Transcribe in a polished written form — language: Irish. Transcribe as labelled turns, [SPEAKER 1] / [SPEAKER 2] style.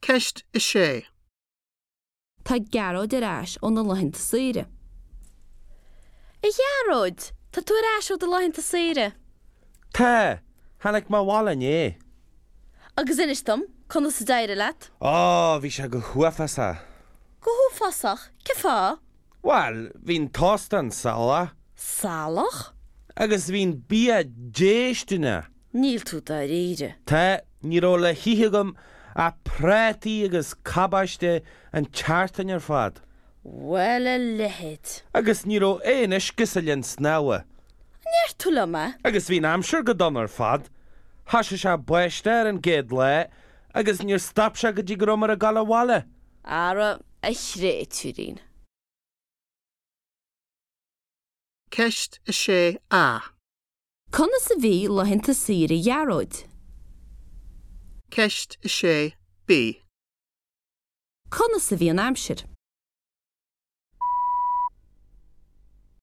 [SPEAKER 1] Ceist 6.
[SPEAKER 2] Tá Gearóid ar ais óna laethanta saoire. A Ghearóid! Tá tú ar ais ó do laethanta saoire!
[SPEAKER 3] Tá! Tháinig mé abhaile inné.
[SPEAKER 2] Agus inis dom, conas a d'éirigh leat?
[SPEAKER 3] Ó, bhí sé go huafásach.
[SPEAKER 2] Go huafásach? Cén fáth?
[SPEAKER 3] Bhuel, bhí an t-óstán salach.
[SPEAKER 2] Salach?
[SPEAKER 3] Agus bhí an bia déistineach.
[SPEAKER 2] Níl tú dáiríre.
[SPEAKER 3] Tá, ní raibh le hithe agam ach prátaí agus cabáiste an tseachtain ar fad.
[SPEAKER 2] Bhuel, a leithéid.
[SPEAKER 3] Agus ní raibh aon uisce sa linn snámha.
[SPEAKER 2] An ndeir tú liom é?
[SPEAKER 3] Agus bhí an aimsir go dona ar fad. Thoisigh sé ag báisteach ar an gcéad lá agus níor stop sé go dtí go rabhamar ag dul abhaile.
[SPEAKER 2] Ara, a chréatúirín.
[SPEAKER 1] Ceist 6A.
[SPEAKER 2] Conas a bhí laethanta saoire Ghearóid?
[SPEAKER 1] Ceist 6B.
[SPEAKER 2] Conas a bhí an aimsir?